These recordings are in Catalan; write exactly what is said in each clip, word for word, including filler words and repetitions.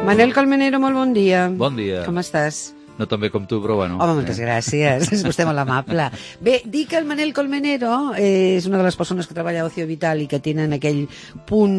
Manel Colmenero, molt bon dia. Bon dia. Com estàs? No tan bé com tu, però bueno. Home, moltes gràcies. És vostè molt amable. Bé, dic que el Manel Colmenero és una de les persones que treballa a Ocio Vital i que tenen aquell punt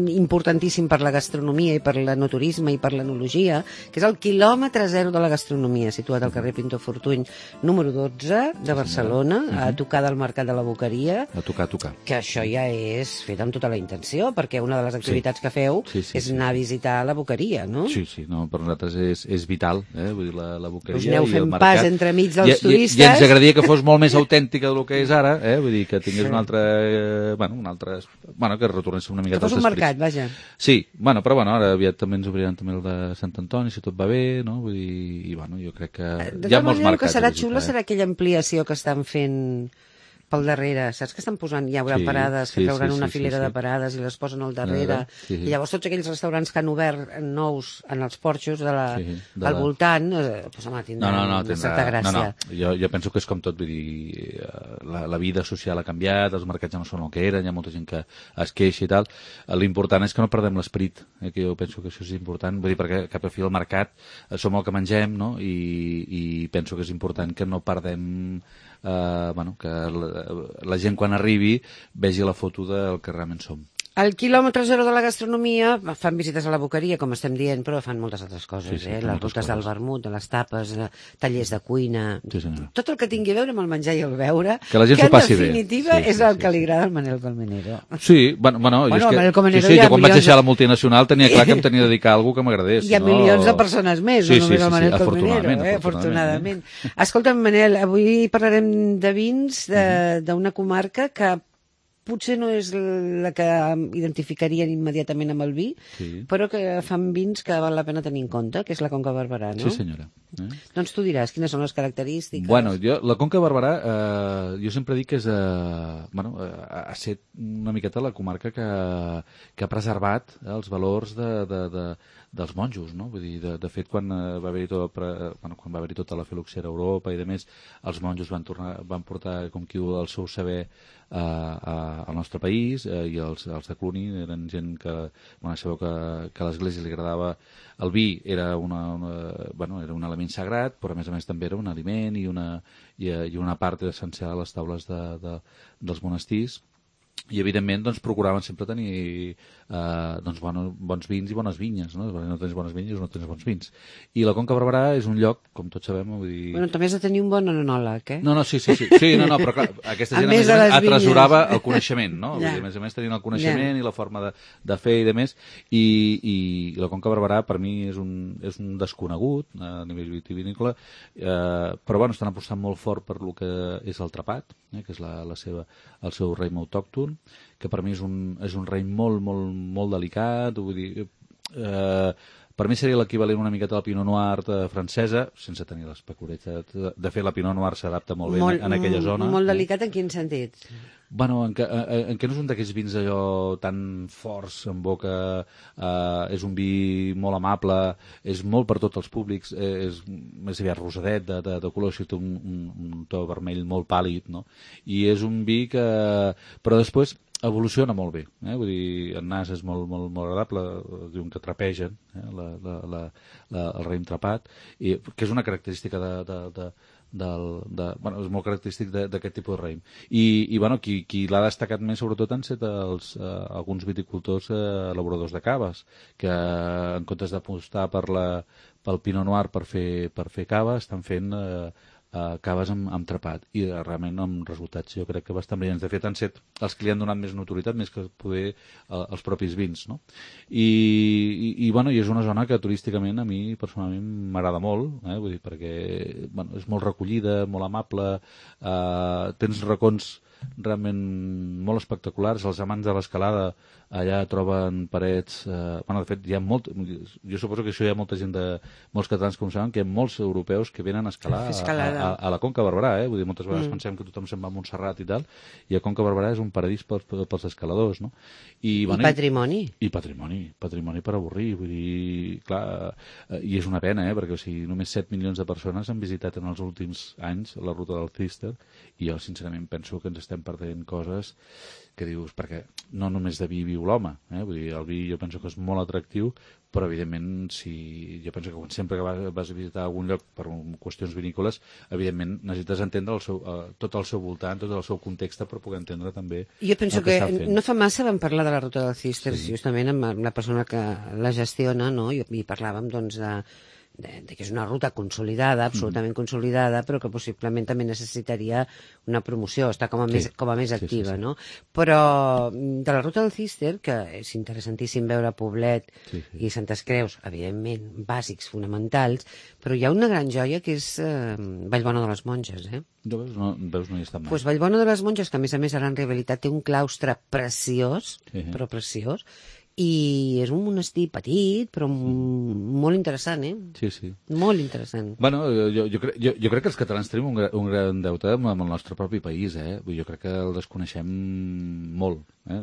importantíssim per la gastronomia i per l'enoturisme i per l'enologia, que és el quilòmetre zero de la gastronomia, situat al carrer Pintor Fortuny, número dotze de Barcelona, sí, a tocar del Mercat de la Boqueria. A tocar, a tocar. Que això ja és fet amb tota la intenció, perquè una de les activitats sí. que feu sí, sí, és sí. anar a visitar la Boqueria, no? Sí, sí, no, per nosaltres és, és vital, eh? Vull dir, la la Boqueria. Us aneu fent pas entremig dels I, turistes. I, I ens agradaria que fos molt més autèntica del que és ara, eh? Vull dir, que tingués sí. un altre... Eh, bueno, un altre... Bueno, que retornés una miqueta als esprits. Que fos un mercat, vaja. Sí, bueno, però bueno, ara aviat també ens obriran també el de Sant Antoni, si tot va bé, no? Vull dir, i bueno, jo crec que de hi ha molts mercats. El que serà xulo serà aquella ampliació que estan fent pel darrere, saps que estan posant, hi haurà sí, parades, que sí, trauran sí, una sí, filera sí, sí. de parades i les posen al darrere, sí, sí. i llavors tots aquells restaurants que han obert nous en els porxos de la, sí, de al la... voltant, eh, pues, home, tindran no, no, no, tindrà... certa gràcia. No, no. Jo, jo penso que és com tot, vull dir, la, la vida social ha canviat, els mercats ja no són el que eren, hi ha molta gent que es queixa i tal. L'important és que no perdem l'esperit, eh, que jo penso que això és important, vull dir, perquè cap a fi el mercat som el que mengem, no? I, i penso que és important que no perdem Uh, bueno, que la, la gent quan arribi vegi la foto del que realment som. Al quilòmetre zero de la gastronomia fan visites a la Boqueria, com estem dient, però fan moltes altres coses, sí, sí, eh? Les rutes del vermut, de les tapes, de tallers de cuina, sí, tot el que tingui a veure amb el menjar i el beure, que la gent s'ho passi bé. Que en definitiva sí, és sí, el sí, que sí. li agrada al Manel Colmenero. Sí, bueno, bueno, bueno jo és que, Colmenero sí, sí, jo quan vaig deixar de... la multinacional tenia clar que em tenia de dedicar a alguna que m'agradés. Hi ha no... milions de persones més, sí, no només sí, sí, el Manel sí, Colmenero, afortunadament, eh? afortunadament. afortunadament. Escolta'm, Manel, avui parlarem de vins d'una comarca que potser no és la que identificarien immediatament amb el vi, sí. però que fan vins que val la pena tenir en compte, que és la Conca Barberà, no? Sí, senyora. Eh? Doncs tu diràs quines són les característiques. Bueno, jo, la Conca Barberà, eh, jo sempre dic que és, eh, bueno, eh, ha set una miqueta la comarca que, que ha preservat eh, els valors de, de, de, dels monjos, no? Vull dir, de, de fet, quan eh, va haver-hi tot, bueno, quan va haver-hi tota la filoxera a Europa i de més, els monjos van, tornar, van portar com qui el seu saber a, a, al nostre país eh, i els, els de Cluny eren gent que, bueno, sabeu que, que a l'Església li agradava el vi, era, una, una, bueno, era un element sagrat, però a més a més també era un aliment i una, i, i una part essencial a les taules de, de, dels monestirs. I evidentment doncs, procuraven sempre tenir eh, doncs, bueno, bons vins i bones vinyes, no? Perquè no tens bones vinyes no tens bons vins. I la Conca Barberà és un lloc, com tots sabem, vull dir... Bueno, també has de tenir un bon enòleg, eh? No, no, sí, sí, sí, sí no, no, però clar, aquesta gent a, a més a més atresorava el coneixement, no? Ja. Vull dir, a més a més tenien el coneixement ja. i la forma de, de fer i de més, i, i la Conca Barberà per mi és un, és un desconegut a nivell vitivinícola, eh, però bueno, estan apostant molt fort per lo que és el trapat, eh, que és la, la seva, el seu raïm autòcton, que per mi és un, és un raïm molt, molt, molt delicat, vull dir, eh, per mi seria l'equivalent una miqueta a la Pinot Noir francesa, sense tenir les peculiaritats. De fet, la Pinot Noir s'adapta molt bé molt, en, en aquella zona. Molt delicat en quin sentit? Bueno, en què, en què no és un d'aquests vins allò tan forts en boca, eh, és un vi molt amable, és molt per tots els públics, eh, és més aviat rosadet, de, de, de color, així té un, un, un to vermell molt pàl·lid, no? I és un vi que... Però després evoluciona molt bé, eh? Vull dir, el nas és molt, molt, molt agradable, diuen que trapegen eh? la, la, la, la, el raïm trapat, i, que és una característica de... de, de Del, de, bueno, és molt característic d'aquest tipus de raïm. I, i bueno, qui, qui l'ha destacat més sobretot han set els, eh, alguns viticultors eh, elaboradors de caves, que en comptes d'apostar per la, pel Pinot Noir per fer, per fer cava, estan fent eh, eh, caves amb, amb trapat, i eh, realment amb resultats jo crec que bastant brillants. De fet han set els que li han donat més notorietat més que poder eh, els propis vins, no? I, i, i, bueno, i és una zona que turísticament a mi personalment m'agrada molt, eh? Vull dir, perquè bueno, és molt recollida, molt amable, eh, tens racons realment molt espectaculars. Els amants de l'escalada allà troben parets... Eh, bueno, de fet, hi ha molt... Jo suposo que això hi ha molta gent de... Molts catalans, com saben, que hi ha molts europeus que venen a escalar a, a, a la Conca Barberà, eh? Vull dir, moltes vegades mm. pensem que tothom se'n va a Montserrat i tal, i a Conca Barberà és un paradís pels, pels escaladors, no? I, I bueno, patrimoni. I patrimoni, patrimoni per avorrir, vull dir, clar, eh, i és una pena, eh? Perquè o sigui, només set milions de persones han visitat en els últims anys la ruta del Cister, i jo sincerament penso que ens estem estem perdent coses que dius, perquè no només de vi viu l'home, eh? Vull dir, el vi jo penso que és molt atractiu, però evidentment si jo penso que sempre que vas, vas a visitar algun lloc per qüestions vinícoles, evidentment necessites entendre el seu, uh, tot el seu voltant, tot el seu context per poder entendre també jo penso el que, que estan fent. No fa massa vam parlar de la ruta del Císter, Sí. justament amb la persona que la gestiona, no? I, i parlàvem doncs de De, de que és una ruta consolidada, absolutament mm. consolidada, però que possiblement també necessitaria una promoció, està com a, sí. més, com a més activa, sí, sí, sí. no? Però de la ruta del Císter, que és interessantíssim veure Poblet sí, sí. i Santes Creus, evidentment, bàsics, fonamentals, però hi ha una gran joia que és eh, Vallbona de les Monges, eh? No, veus, no, veus, no hi està mai. Pues Vallbona de les Monges, que a més a més ara en realitat té un claustre preciós, sí. però preciós, i és un monestir petit, però mm. molt interessant, eh? Sí, sí. Molt interessant. Bueno, jo, jo, cre jo, jo crec que els catalans tenim un, gra un gran deute amb, amb el nostre propi país, eh? Jo crec que el desconeixem molt, eh?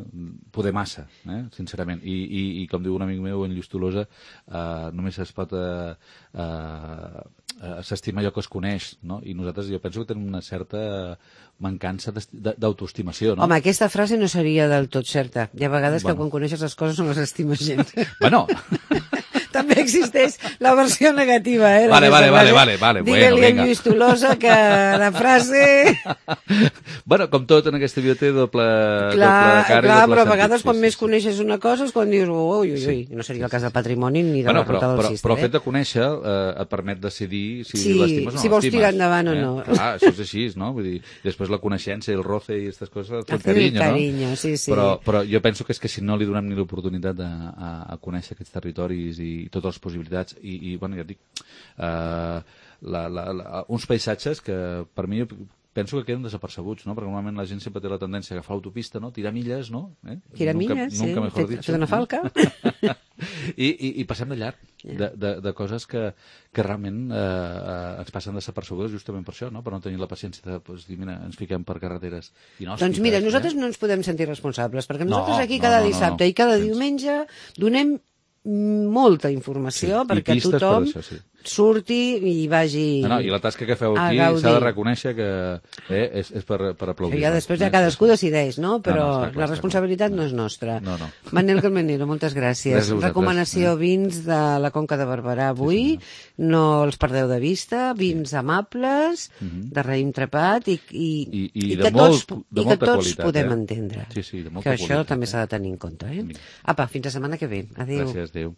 Poder massa, eh? Sincerament. I, i, I com diu un amic meu, en Lluís Tolosa, eh, només es pot... Eh, eh, s'estima allò que es coneix, no? I nosaltres jo penso que tenim una certa mancança d'autoestimació, no? Home, aquesta frase no seria del tot certa. Hi ha vegades bueno. que quan coneixes les coses no les estimes gens. Bueno... També existeix la versió negativa, eh? Vale, vale, vale, vale, vale. Digue-li bueno, a Lluís Tolosa que la frase... Bueno, com tot en aquesta vida té doble, clar, doble cara clar, i doble però a sentit. vegades Sí, quan sí, més sí. coneixes una cosa és quan dius ui, ui, ui, Sí. no seria el cas del patrimoni ni de bueno, la ruta del però, Císter, però el eh? fet de conèixer eh, et permet decidir si Sí, l'estimes o no si vols l'estimes. tirar endavant o eh? no. Clar, això és així, no? Vull dir, després la coneixença i el roce i aquestes coses et Hacer fan el carinyo, carinyo, no? sí, sí. Però, però jo penso que és que si no li donem ni l'oportunitat a, a, a conèixer aquests territoris i totes les possibilitats i, i bueno, ja et dic, eh, la, la, la, uns paisatges que per mi penso que queden desapercebuts, no? Perquè normalment la gent sempre té la tendència a agafar l'autopista, no? Tirar milles, no? Eh? Tirar nunca, milles, nunca sí. mejor Fet, dicho, fet una falca. I, i, i passem de llarg Yeah. de, de, de coses que, que realment eh, eh, ens passen desapercebudes justament per això, no? Per no tenir la paciència de pues, dir, mira, ens fiquem per carreteres inhòspites. Doncs mira, nosaltres eh? no ens podem sentir responsables, perquè No, nosaltres aquí no, cada no, no, dissabte no. i cada Gens. diumenge donem molta informació Sí, i perquè pistes per tothom això, sí. surti i vagi No, no, i la tasca que feu a aquí gaudir. s'ha de reconèixer que eh, és, és per, per aplaudir. Ja després ja cadascú decideix, no? Però No, no, està clar, la responsabilitat està clar. no és nostra. No, no. Manel Colmenero, moltes gràcies. Gràcies a vosaltres. Recomanació vins de la Conca de Barberà avui, sí, no els perdeu de vista, vins sí. amables, uh -huh. de raïm trepat i, i, I, i, i de que molt, tots, de i que molta tots qualitat, podem eh? entendre. Sí, sí, de molta que això qualitat, també eh? s'ha de tenir en compte. Eh? Apa, fins la setmana que ve. Adéu. Gràcies, adéu.